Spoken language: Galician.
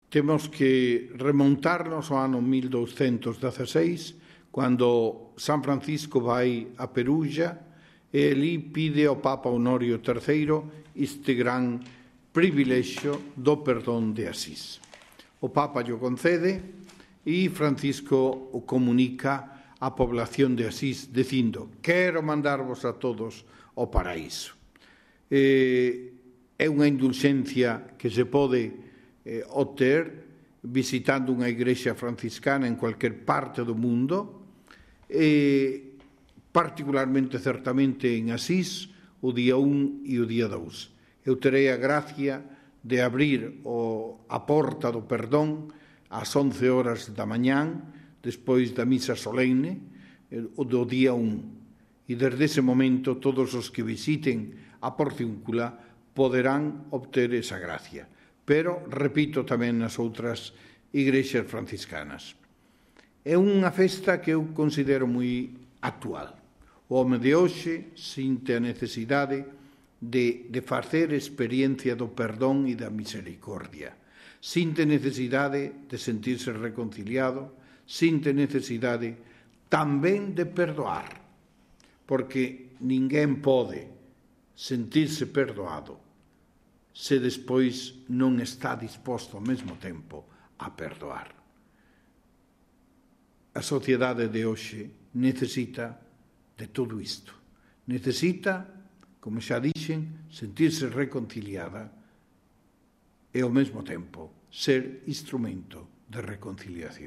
Temos que remontarnos ao ano 1216, cando San Francisco vai a Perugia e ali pide ao Papa Honorio III este gran privilexio do perdón de Asís. O Papa lle concede e Francisco o comunica á población de Asís dicindo: quero mandarvos a todos ao paraíso. É unha indulxencia que se pode obter visitando unha igrexa franciscana en cualquier parte do mundo, particularmente, certamente, en Asís, o día 1 e o día 2. Eu terei a gracia de abrir a porta do perdón ás 11 horas da mañán, despois da misa solemne, o do día 1. E desde ese momento todos os que visiten a Porciúncula poderán obter esa gracia. Pero, repito, tamén nas outras igrexas franciscanas. É unha festa que eu considero moi actual. O home de hoxe sinte a necesidade de facer experiencia do perdón e da misericordia. Sinte necesidade de sentirse reconciliado, sinte necesidade tamén de perdoar, porque ninguén pode sentirse perdoado se despois non está disposto ao mesmo tempo a perdoar. A sociedade de hoxe necesita de todo isto. Necesita, como xa dixen, sentirse reconciliada e ao mesmo tempo ser instrumento de reconciliación.